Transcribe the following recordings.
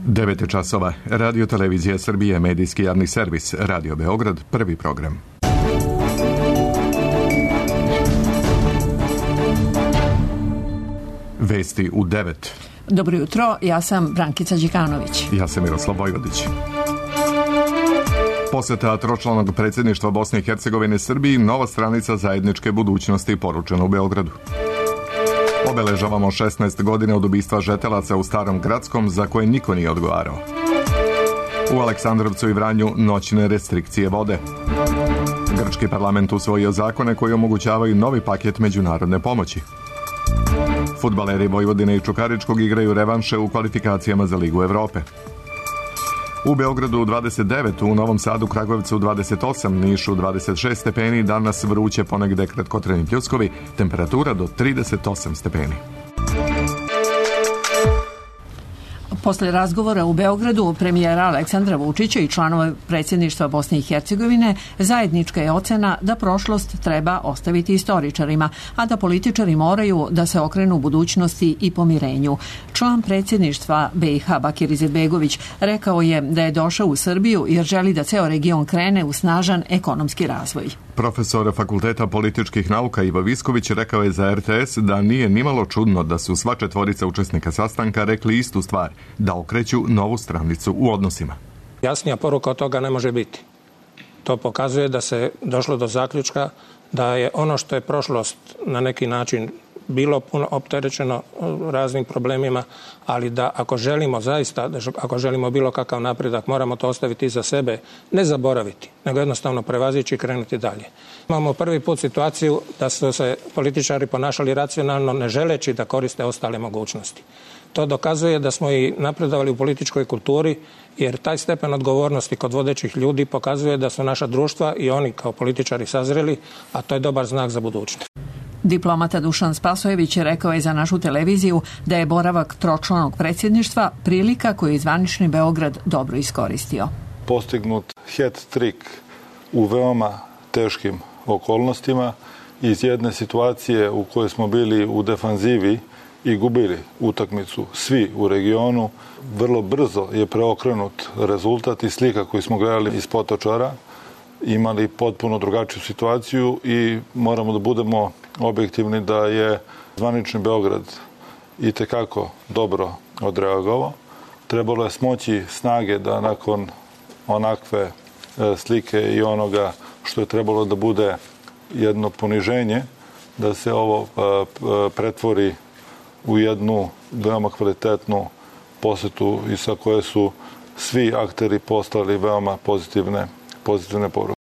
9 časova. Radio Televizija Srbije, medijski javni servis, Radio Beograd, prvi program. Vesti u 9. Dobro jutro, ja sam Brankica Đikanović. Ja sam Miroslav Vojvodić. Poseta tročlanog predsjedništva Bosne i Hercegovine Srbiji, nova stranica zajedničke budućnosti poručena u Beogradu. Obeležavamo 16 godina od ubistva žetelaca u Starom Gradskom za koje niko nije odgovarao. U Aleksandrovcu i Vranju noćne restrikcije vode. Grčki parlament usvojio zakone koji omogućavaju novi paket međunarodne pomoći. Fudbaleri Vojvodine i Čukaričkog igraju revanše u kvalifikacijama za Ligu Evrope. U Beogradu 29, u Novom Sadu, Kragujevcu 28, Nišu 26 stepeni, danas vruće, ponegde kratkotrajni pljuskovi, temperatura do 38 stepeni. Posle razgovora u Beogradu premijera Aleksandra Vučića i članova predsjedništva Bosne i Hercegovine, zajednička je ocena da prošlost treba ostaviti istoričarima, a da političari moraju da se okrenu budućnosti i pomirenju. Član predsjedništva BiH Bakir Izetbegović rekao je da je došao u Srbiju jer želi da ceo region krene u snažan ekonomski razvoj. Profesor Fakulteta političkih nauka Ivo Visković rekao je za RTS da nije nimalo čudno da su sva četvorica učesnika sastanka rekli istu stvar, da okreću novu stranicu u odnosima. Jasnija poruka od toga ne može biti. To pokazuje da se došlo do zaključka da je ono što je prošlost na neki način bilo puno opterećeno raznim problemima, ali da ako želimo zaista, ako želimo bilo kakav napredak, moramo to ostaviti iza sebe, ne zaboraviti, nego jednostavno prevazići i krenuti dalje. Imamo prvi put situaciju da su se političari ponašali racionalno, ne želeći da koriste ostale mogućnosti. To dokazuje da smo i napredovali u političkoj kulturi, jer taj stepen odgovornosti kod vodećih ljudi pokazuje da su naša društva i oni kao političari sazreli, a to je dobar znak za budućnost. Diplomata Dušan Spasojević rekao je za našu televiziju da je boravak tročlanog predsjedništva prilika koju je zvanični Beograd dobro iskoristio. Postignut hat-trick u veoma teškim okolnostima iz jedne situacije u kojoj smo bili u defanzivi i gubili utakmicu svi u regionu. Vrlo brzo je preokrenut rezultat i slika koju smo gledali iz Potočara. Imali potpuno drugačiju situaciju i moramo da budemo objektivni da je zvanični Beograd itekako dobro odreagovao. Trebalo je smoći snage da nakon onakve slike i onoga što je trebalo da bude jedno poniženje, da se ovo pretvori u jednu veoma kvalitetnu posetu i sa koje su svi akteri postali veoma pozitivne poruke.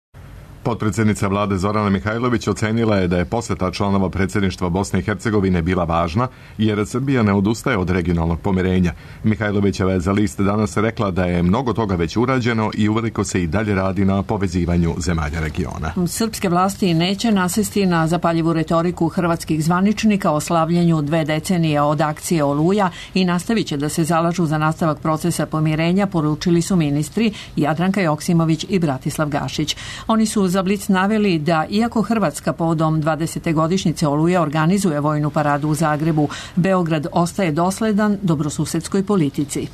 Potpredsjednica vlade Zorana Mihajlović ocenila je da je poseta članova predsjedništva Bosne i Hercegovine bila važna, jer Srbija ne odustaje od regionalnog pomirenja. Mihajlovićeva je za List danas rekla da je mnogo toga već urađeno i uveliko se i dalje radi na povezivanju zemalja regiona. Srpske vlasti neće nasesti na zapaljivu retoriku hrvatskih zvaničnika o slavljenju 2 decenije od akcije Oluja i nastavit će da se zalažu za nastavak procesa pomirenja, poručili su ministri Jadranka Joksimović i Bratislav Gašić. Oni su za Blic naveli da iako Hrvatska povodom 20. godišnjice Oluje organizuje vojnu paradu u Zagrebu, Beograd ostaje dosledan dobrosusedskoj politici.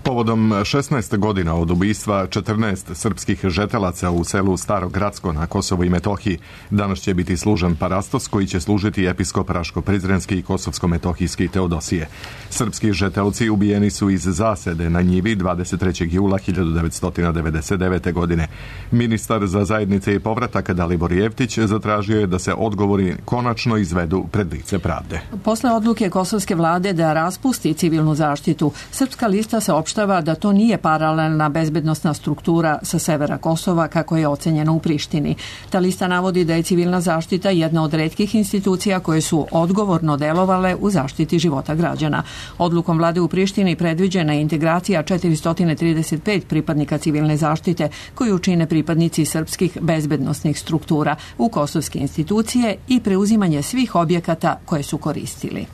Povodom 16 godina od ubistva 14 srpskih žetelaca u selu Staro Gradsko na Kosovu i Metohiji, danas će biti služen parastos koji će služiti episkop Raško-Prizrenski i Kosovsko-Metohijski Teodosije. Srpski žetelci ubijeni su iz zasede na njivi 23. jula 1999. godine. Ministar za zajednice i povratak Dalibor Jevtić zatražio je da se odgovori konačno izvedu pred lice pravde. Posle odluke kosovske vlade da raspusti civilnu zaštitu, Srpska lista se opštava da to nije paralelna bezbednosna struktura sa severa Kosova kako je ocenjeno u Prištini. Ta lista navodi da je civilna zaštita jedna od retkih institucija koje su odgovorno delovale u zaštiti života građana. Odlukom vlade u Prištini predviđena je integracija 435 pripadnika civilne zaštite koju čine pripadnici srpskih bezbednosnih struktura u kosovske institucije i preuzimanje svih objekata koje su koristili.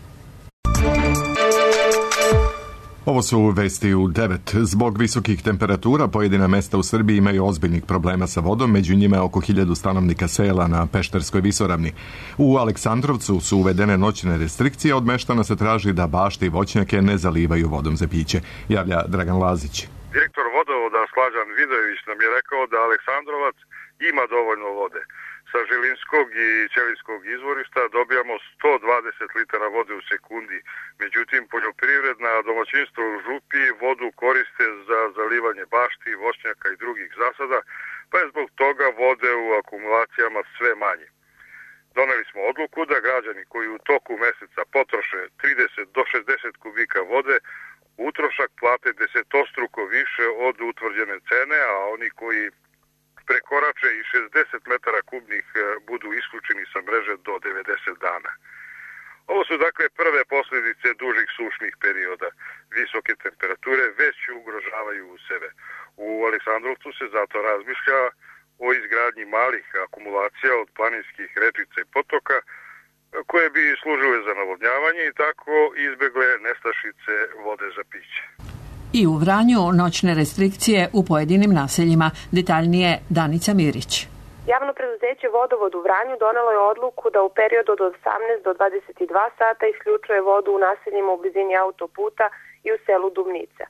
Ovo su vesti u 9. Zbog visokih temperatura pojedina mesta u Srbiji imaju ozbiljnih problema sa vodom, među njima je oko 1000 stanovnika sela na Pešterskoj visoravni. U Aleksandrovcu su uvedene noćne restrikcije, od meštana se traži da bašte i voćnjake ne zalivaju vodom za piće, javlja Dragan Lazić. Direktor vodovoda Slađan Vidojević nam je rekao da Aleksandrovac ima dovoljno vode. Sa Žilinskog i Ćelijskog izvorišta dobijamo 120 litara vode u sekundi. Međutim, poljoprivredna domaćinstva u župi vodu koriste za zalivanje bašti, voćnjaka i drugih zasada, pa je zbog toga vode u akumulacijama sve manje. Doneli smo odluku da građani koji u toku meseca potroše 30 do 60 kubika vode, utrošak plate desetostruko više od utvrđene cene, a oni koji prekorače i 60 metara kubnih budu isključeni sa mreže do 90 dana. Ovo su dakle prve posljedice dužih sušnih perioda. Visoke temperature već ugrožavaju sebe. U Aleksandrovcu se zato razmišlja o izgradnji malih akumulacija od planinskih rečica i potoka koje bi služile za navodnjavanje i tako izbegle nestašice vode za piće. I u Vranju noćne restrikcije u pojedinim naseljima. Detaljnije Danica Mirić. Javno preduzeće Vodovod u Vranju donelo je odluku da u periodu od 18 do 22 sata isključuje vodu u naseljima u blizini autoputa i u selu Dubnica.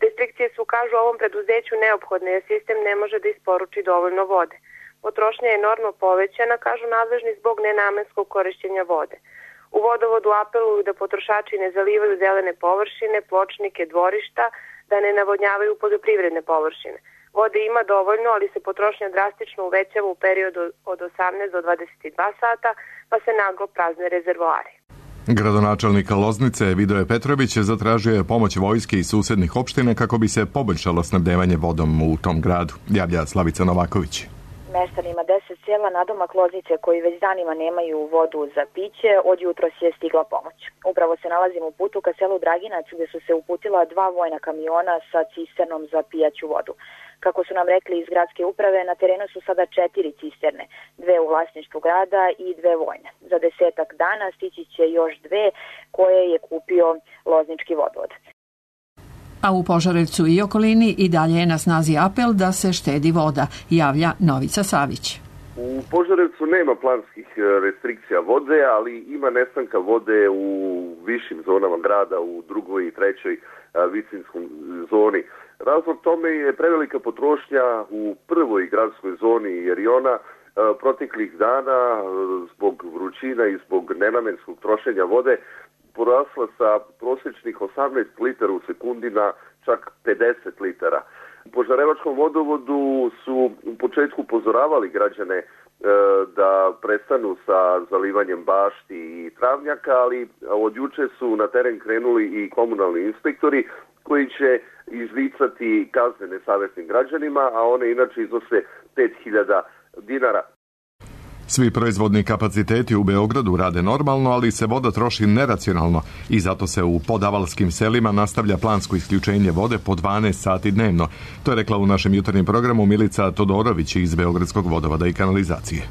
Restrikcije su, kažu, ovom preduzeću neophodne jer sistem ne može da isporuči dovoljno vode. Potrošnja je enormno povećana, kažu nadležni, zbog nenamenskog korišćenja vode. U Vodovodu apeluju da potrošači ne zalivaju zelene površine, pločnike, dvorišta, da ne navodnjavaju poljoprivredne površine. Vode ima dovoljno, ali se potrošnja drastično uvećava u periodu od 18 do 22 sata, pa se naglo prazne rezervoari. Gradonačelnik Loznice Vidoje Petrović zatražio je pomoć vojske i susednih opština kako bi se poboljšalo snabdevanje vodom u tom gradu, javlja Slavica Novaković. Meštanima 10 sela nadomak Loznice koji već danima nemaju vodu za piće, od jutros je stigla pomoć. Upravo se nalazimo u putu ka selu Draginac gdje su se uputila 2 vojna kamiona sa cisternom za pijaću vodu. Kako su nam rekli iz gradske uprave, na terenu su sada 4 cisterne, 2 u vlasništvu grada i 2 vojne. Za 10-ak dana stići će još 2 koje je kupio Loznički vodovod. A u Požarevcu i okolini i dalje je na snazi apel da se štedi voda, javlja Novica Savić. U Požarevcu nema planskih restrikcija vode, ali ima nestanka vode u višim zonama grada, u 2. i 3. visinskoj zoni. Razlog tome je prevelika potrošnja u 1. gradskoj zoni jer i ona proteklih dana zbog vrućina i zbog nenamenskog trošenja vode porasla sa prosječnih 18 litara u sekundi na čak 50 litara. U Požarevačkom vodovodu su u početku upozoravali građane da prestanu sa zalivanjem bašti i travnjaka, ali od juče su na teren krenuli i komunalni inspektori koji će izricati kazne nesavesnim građanima, a one inače iznose 5.000 dinara. Svi proizvodni kapaciteti u Beogradu rade normalno, ali se voda troši neracionalno i zato se u podavalskim selima nastavlja plansko isključenje vode po 12 sati dnevno. To je rekla u našem jutarnjem programu Milica Todorović iz Beogradskog vodovoda i kanalizacije.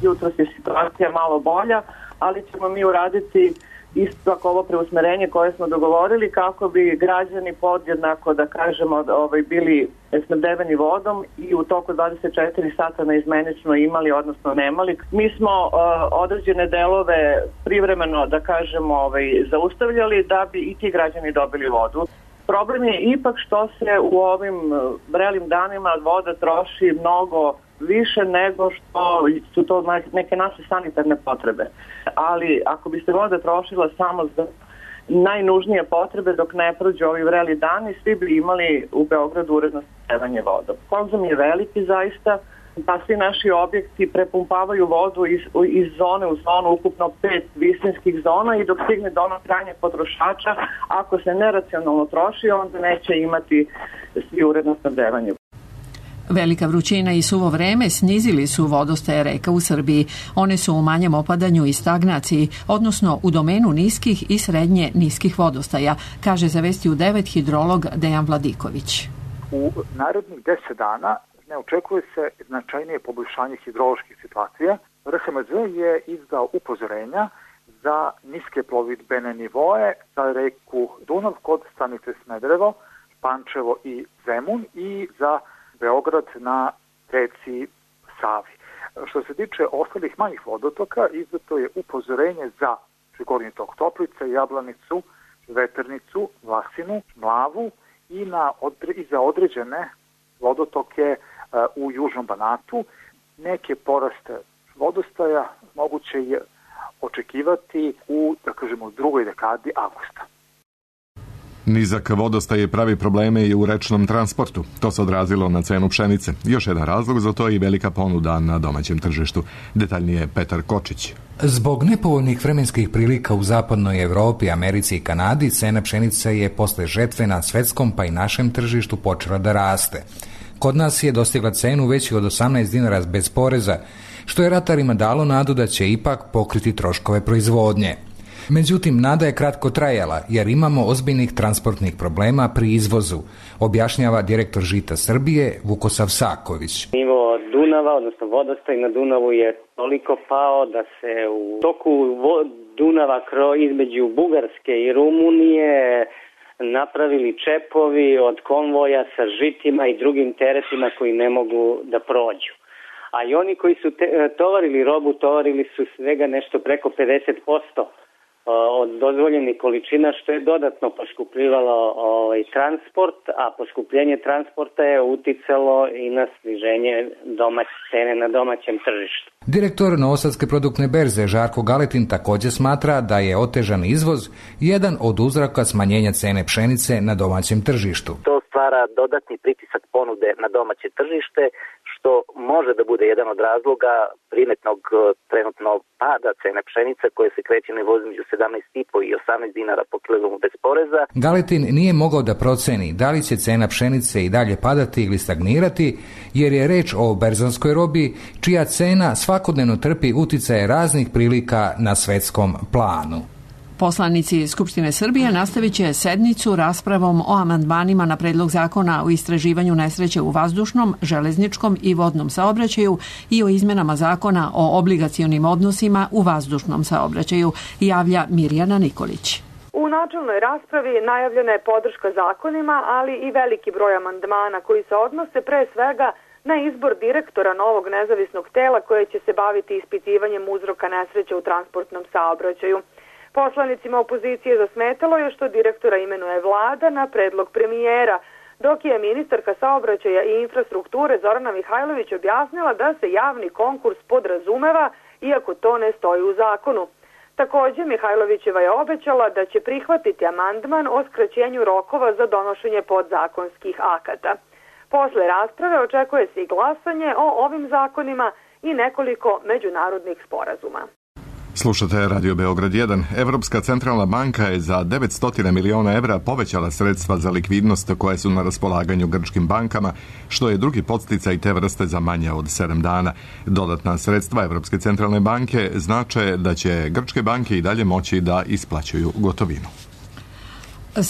Jutros je situacija malo bolja, ali ćemo mi uraditi isto tako ovo preusmerenje koje smo dogovorili kako bi građani podjednako, da kažemo, bili snabdeveni vodom i u toku 24 sata neizmenično imali, odnosno nemali. Mi smo određene delove privremeno, da kažemo, zaustavljali da bi i ti građani dobili vodu. Problem je ipak što se u ovim vrelim danima voda troši mnogo više nego što su to neke naše sanitarne potrebe. Ali ako bi se voda trošila samo za najnužnije potrebe dok ne prođu ovi vreli dani, svi bi imali u Beogradu uredno snabdevanje vodom. Konzum je veliki zaista, da svi naši objekti prepumpavaju vodu iz zone u zonu, ukupno 5 visinskih zona i dok stigne do onog krajnjeg potrošača, ako se neracionalno troši, onda neće imati svi uredno snabdevanje. Velika vrućina i suvo vreme snizili su vodostaje reka u Srbiji. One su u manjem opadanju i stagnaciji, odnosno u domenu niskih i srednje niskih vodostaja, kaže za Vesti u 9 hidrolog Dejan Vladiković. U narednih 10 dana ne očekuje se značajnije poboljšanje hidroloških situacija. RHMZ je izdao upozorenja za niske plovidbene nivoe za reku Dunav kod stanice Smederevo, Pančevo i Zemun i za Beograd na reci Savi. Što se tiče ostalih manjih vodotoka, izdato je upozorenje za Gornji tok Toplice, Jablanicu, Veternicu, Vlasinu, Mlavu i za određene vodotoke u Južnom Banatu. Neke poraste vodostaja moguće je očekivati u drugoj dekadi avgusta. Nizak vodostaj pravi probleme i u rečnom transportu. To se odrazilo na cenu pšenice. Još jedan razlog za to je i velika ponuda na domaćem tržištu. Detaljnije Petar Kočić. Zbog nepovoljnih vremenskih prilika u zapadnoj Evropi, Americi i Kanadi, cena pšenice je posle žetve na svetskom pa i našem tržištu počela da raste. Kod nas je dostigla cenu veći od 18 dinara bez poreza, što je ratarima dalo nadu da će ipak pokriti troškove proizvodnje. Međutim, nada je kratko trajala jer imamo ozbiljnih transportnih problema pri izvozu, objašnjava direktor Žita Srbije Vukosav Saković. Nivo Dunava, odnosno vodostaj na Dunavu je toliko pao da se u toku Dunava između Bugarske i Rumunije napravili čepovi od konvoja sa žitima i drugim teretima koji ne mogu da prođu. A i oni koji su tovarili robu, tovarili su svega nešto preko 50% od dozvoljenih količina, što je dodatno poskupljivalo transport, a poskupljenje transporta je uticalo i na sniženje cene na domaćem tržištu. Direktor Novosadske produktne berze Žarko Galetin također smatra da je otežan izvoz jedan od uzroka smanjenja cene pšenice na domaćem tržištu. To stvara dodatni pritisak ponude na domaće tržište, što može da bude jedan od razloga primetnog trenutno pada cene pšenice koje se kreće na nivou između 17,5 i 18 dinara po kilogramu bez poreza. Galetin nije mogao da proceni da li će cena pšenice i dalje padati ili stagnirati, jer je reč o berzanskoj robi čija cena svakodnevno trpi uticaje raznih prilika na svetskom planu. Poslanici Skupštine Srbije nastavit će sednicu raspravom o amandmanima na predlog zakona o istraživanju nesreće u vazdušnom, železničkom i vodnom saobraćaju i o izmenama zakona o obligacionim odnosima u vazdušnom saobraćaju, javlja Mirjana Nikolić. U načelnoj raspravi najavljena je podrška zakonima, ali i veliki broj amandmana koji se odnose pre svega na izbor direktora novog nezavisnog tela koje će se baviti ispitivanjem uzroka nesreće u transportnom saobraćaju. Poslanicima opozicije zasmetalo je što direktora imenuje vlada na predlog premijera, dok je ministarka saobraćaja i infrastrukture Zorana Mihajlović objasnila da se javni konkurs podrazumeva, iako to ne stoji u zakonu. Također, Mihajlovićeva je obećala da će prihvatiti amandman o skraćenju rokova za donošenje podzakonskih akata. Posle rasprave očekuje se i glasanje o ovim zakonima i nekoliko međunarodnih sporazuma. Slušate Radio Beograd 1. Evropska centralna banka je za 900 miliona evra povećala sredstva za likvidnost koje su na raspolaganju grčkim bankama, što je drugi podsticaj te vrste za manje od 7 dana. Dodatna sredstva Evropske centralne banke znače da će grčke banke i dalje moći da isplaćuju gotovinu.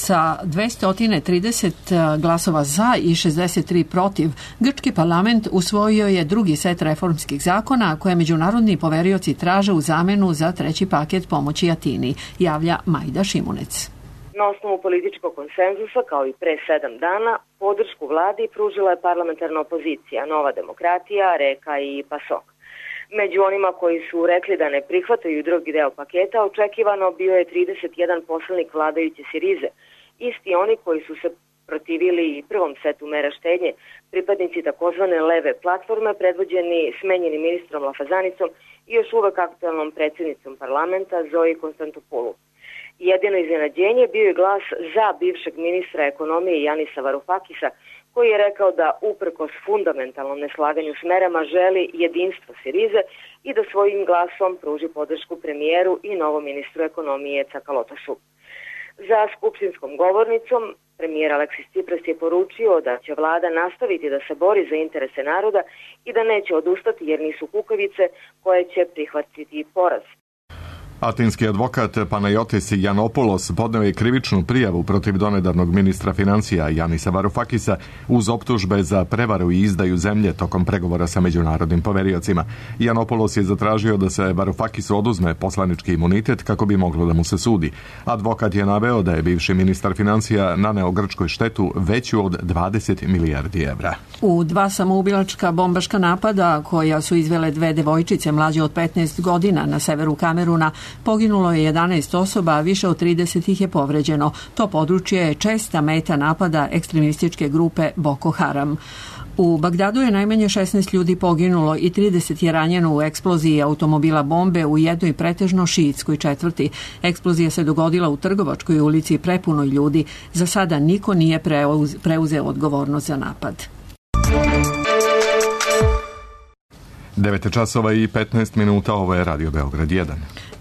Sa 230 glasova za i 63 protiv, grčki parlament usvojio je drugi set reformskih zakona koje međunarodni poverioci traže u zamenu za treći paket pomoći Atini, javlja Majda Šimunec. Na osnovu političkog konsenzusa, kao i pre 7 dana, podršku vladi pružila je parlamentarna opozicija, Nova demokratija, Reka i PASOK. Među onima koji su rekli da ne prihvataju drugi deo paketa, očekivano bio je 31 poslanik vladajuće Sirize, isti oni koji su se protivili i prvom setu mera štednje, pripadnici takozvane leve platforme, predvođeni smenjenim ministrom Lafazanicom i još uvek aktualnom predsjednicom parlamenta Zoji Konstantopoulou. Jedino iznenađenje bio je glas za bivšeg ministra ekonomije Janisa Varufakisa, koji je rekao da uprkos fundamentalnom neslaganju s merama želi jedinstvo Sirize i da svojim glasom pruži podršku premijeru i novom ministru ekonomije Cakalotosu. Za skupštinskom govornicom premijer Aleksis Tsipras je poručio da će vlada nastaviti da se bori za interese naroda i da neće odustati jer nisu kukavice koje će prihvatiti poraz. Atinski advokat Panayotis Yiannopoulos podneo je krivičnu prijavu protiv donedavnog ministra financija Janisa Varoufakisa uz optužbe za prevaru i izdaju zemlje tokom pregovora sa međunarodnim poveriocima. Yiannopoulos je zatražio da se Varoufakisu oduzme poslanički imunitet kako bi moglo da mu se sudi. Advokat je naveo da je bivši ministar financija naneo Grčkoj štetu veću od 20 milijardi evra. U 2 samoubilačka bombaška napada koja su izvele 2 devojčice mlađe od 15 godina na severu Kameruna poginulo je 11 osoba, a više od 30 ih je povređeno. To područje je česta meta napada ekstremističke grupe Boko Haram. U Bagdadu je najmanje 16 ljudi poginulo i 30 je ranjeno u eksploziji automobila bombe u jednoj pretežno šiitskoj četvrti. Eksplozija se dogodila u Trgovačkoj ulici prepunoj ljudi. Za sada niko nije preuzeo odgovornost za napad. 9 časova i 15 minuta, ovo je Radio Beograd 1.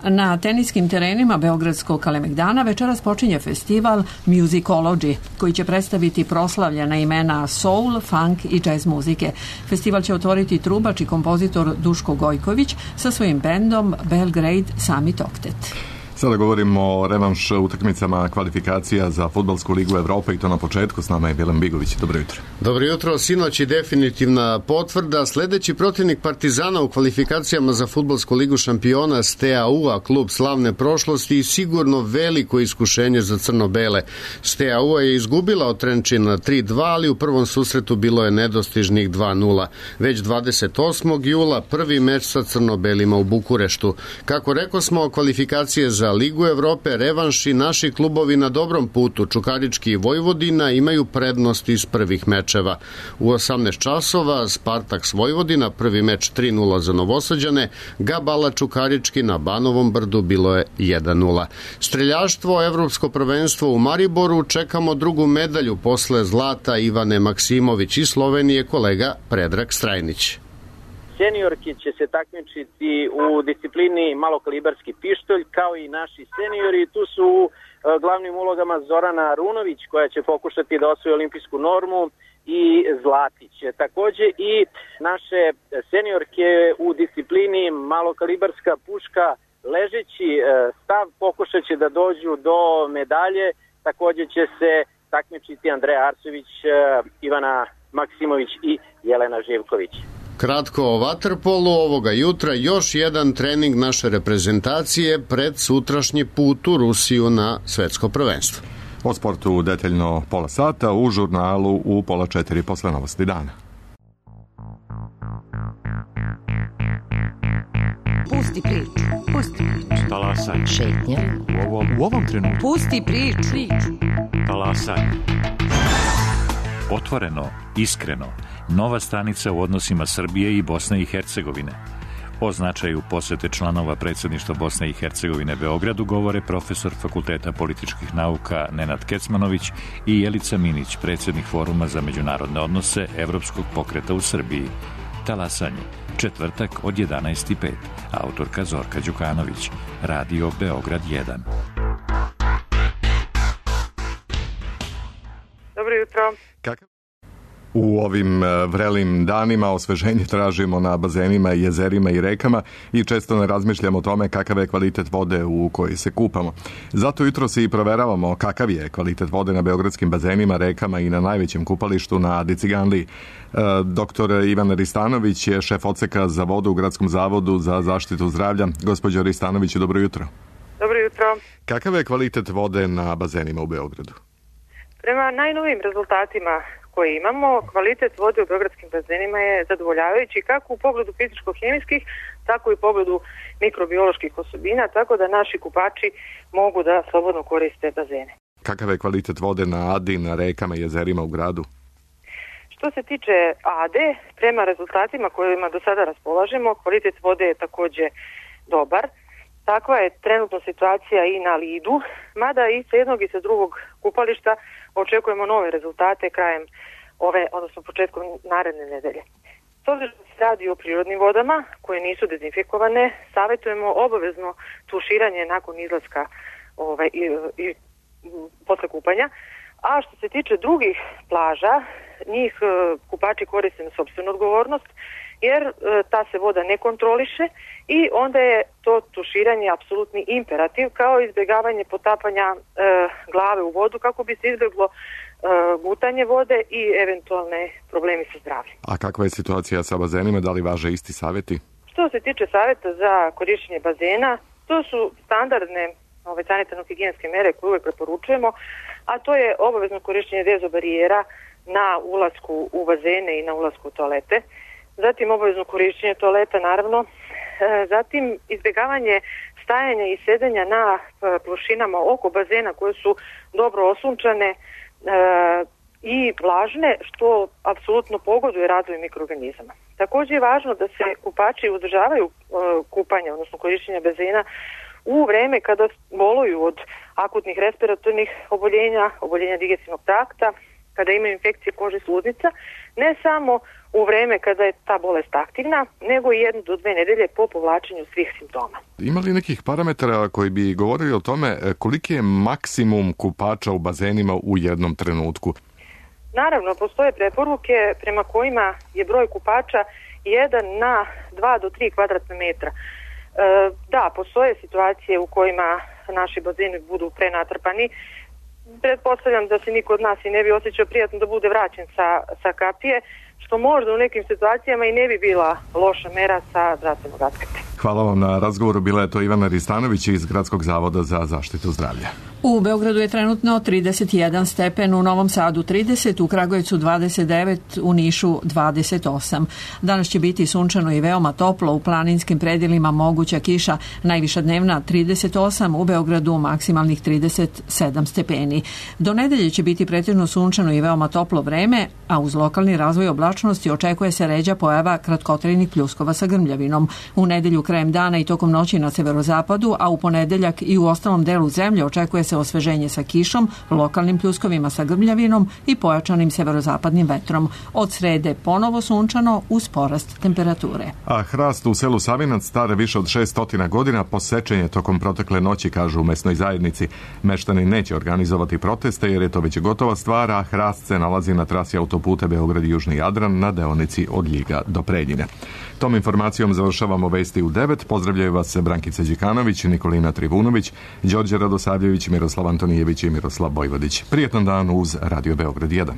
Na teniskim terenima Beogradskog Kalemegdana večeras počinje festival Musicology, koji će predstaviti proslavljena imena soul, funk i jazz muzike. Festival će otvoriti trubač i kompozitor Duško Gojković sa svojim bendom Belgrade Summit Octet. Sada govorimo o revanš utakmicama kvalifikacija za Fudbalsku ligu Evrope i to na početku. S nama je Milan Bigović. Dobro jutro. Dobro jutro. Sinoć je definitivna potvrda. Sledeći protivnik Partizana u kvalifikacijama za Fudbalsku ligu šampiona Steaua, klub slavne prošlosti i sigurno veliko iskušenje za crno-bele. Steaua je izgubila od Trenčina 3-2, ali u prvom susretu bilo je nedostižnih 2-0. Već 28. jula prvi meč sa crno-belima u Bukureštu. Kako rekosmo, kvalifikacije za Ligu Evrope, revanš i naši klubovi na dobrom putu. Čukarički i Vojvodina imaju prednost iz prvih mečeva. U 18 časova Spartaks Vojvodina, prvi meč 3-0 za Novosađane, Gabala Čukarički na Banovom Brdu bilo je 1-0. Streljaštvo, evropsko prvenstvo u Mariboru, čekamo drugu medalju posle zlata Ivane Maksimović i Slovenije kolega Predrag Strajnić. Seniorki će se takmičiti u disciplini malokalibarski pištolj, kao i naši seniori. Tu su u glavnim ulogama Zorana Arunović, koja će pokušati da osvoji olimpijsku normu, i Zlatić. Takođe i naše seniorke u disciplini malokalibarska puška ležeći stav pokušat će da dođu do medalje. Takođe će se takmičiti Andreja Arsović, Ivana Maksimović i Jelena Živković. Kratko o vaterpolu, ovoga jutra još jedan trening naše reprezentacije pred sutrašnji put u Rusiju na svetsko prvenstvo. O sportu detaljno pola sata, u žurnalu u 3:30 posle novosti dana. Pusti priču, pusti priču. Talasaj. Šetnja. U ovom trenutku. Pusti priču. Talasaj. Otvoreno, iskreno, nova stanica u odnosima Srbije i Bosne i Hercegovine. O značaju posete članova predsjedništva Bosne i Hercegovine Beogradu govore profesor Fakulteta političkih nauka Nenad Kecmanović i Jelica Minić, predsjednik Foruma za međunarodne odnose Evropskog pokreta u Srbiji. Talasanje, četvrtak od 11:05. Autorka Zorka Đukanović. Radio Beograd 1. Dobro jutro. U ovim vrelim danima osveženje tražimo na bazenima, jezerima i rekama i često ne razmišljamo o tome kakav je kvalitet vode u kojoj se kupamo. Zato jutro se i proveravamo kakav je kvalitet vode na beogradskim bazenima, rekama i na najvećem kupalištu na Adi Ciganliji. Doktor Ivan Ristanović je šef odseka za vodu u Gradskom zavodu za zaštitu zdravlja. Gospođo Ristanović, dobro jutro. Dobro jutro. Kakav je kvalitet vode na bazenima u Beogradu? Prema najnovijim rezultatima koje imamo, kvalitet vode u beogradskim bazenima je zadovoljavajući kako u pogledu fizičko-hemijskih, tako i u pogledu mikrobioloških osobina, tako da naši kupači mogu da slobodno koriste bazene. Kakav je kvalitet vode na Adi, na rekama i jezerima u gradu? Što se tiče Ade, prema rezultatima kojima do sada raspolažemo, kvalitet vode je takođe dobar. Takva je trenutno situacija i na Lidu, mada i sa jednog i sa drugog kupališta očekujemo nove rezultate krajem odnosno početkom naredne nedelje. S obzirom da se radi o prirodnim vodama koje nisu dezinfikovane, savjetujemo obavezno tuširanje nakon izlaska i posle kupanja. A što se tiče drugih plaža, njih kupači koriste na sopstvenu odgovornost jer ta se voda ne kontroliše i onda je to tuširanje apsolutni imperativ, kao izbjegavanje potapanja glave u vodu kako bi se izbjeglo gutanje vode i eventualne problemi sa zdravljem. A kakva je situacija sa bazenima? Da li važe isti savjeti? Što se tiče savjeta za korištenje bazena, to su standardne sanitarno-higijenske mere koje uvijek preporučujemo, a to je obavezno korištenje dezobarijera na ulasku u bazene i na ulasku u toalete, zatim obavezno korištenje toaleta naravno, zatim izbjegavanje stajanja i sedenja na plošinama oko bazena koje su dobro osunčane i vlažne, što apsolutno pogoduje razvoju mikroorganizama. Također je važno da se kupači uzdržavaju kupanja, odnosno korištenja bazena u vreme kada boluju od akutnih respiratornih oboljenja digestivnog trakta, kada imaju infekcije kože i sluznica, ne samo u vreme kada je ta bolest aktivna, nego i 1 do 2 nedelje po povlačenju svih simptoma. Ima li nekih parametara koji bi govorili o tome koliki je maksimum kupača u bazenima u jednom trenutku? Naravno, postoje preporuke prema kojima je broj kupača 1 na 2 do 3 kvadratna metra. Da, postoje situacije u kojima naši bazeni budu prenatrpani. Pretpostavljam da se niko od nas i ne bi osjećao prijatno da bude vraćen sa kapije, što možda u nekim situacijama i ne bi bila loša mera sa zdravstvenog aspekta. Hvala vam na razgovoru. Bila je to Ivana Ristanović iz Gradskog zavoda za zaštitu zdravlja. U Beogradu je trenutno 31 stepen, u Novom Sadu 30, u Kragujevcu 29, u Nišu 28. Danas će biti sunčano i veoma toplo, u planinskim predjelima moguća kiša, najviša dnevna 38, u Beogradu maksimalnih 37 stepeni. Do nedelje će biti pretežno sunčano i veoma toplo vreme, a uz lokalni razvoj oblačnosti očekuje se ređa pojava kratkotrajnih pljuskova sa grmljavinom. U nedelju krajem dana i tokom noći na severozapadu, a u ponedeljak i u ostalom delu zemlje očekuje se osveženje sa kišom, lokalnim pljuskovima sa grmljavinom i pojačanim severozapadnim vetrom. Od srede ponovo sunčano uz porast temperature. A hrast u selu Savinac star više od 600 godina posečen je tokom protekle noći, kažu u mesnoj zajednici. Meštani neće organizovati proteste jer je to već gotova stvar, a hrast se nalazi na trasi autoputa Beograd i Južni Jadran na deonici od Ljiga do Preljine. Tom informacijom završavamo vesti u 9. Pozdravljaju vas Brankica Đikanović, Nikolina Trivunović, Đorđe Radosavljević, Miroslav Antonijević i Miroslav Bojvodić. Prijetan dan uz Radio Beograd 1.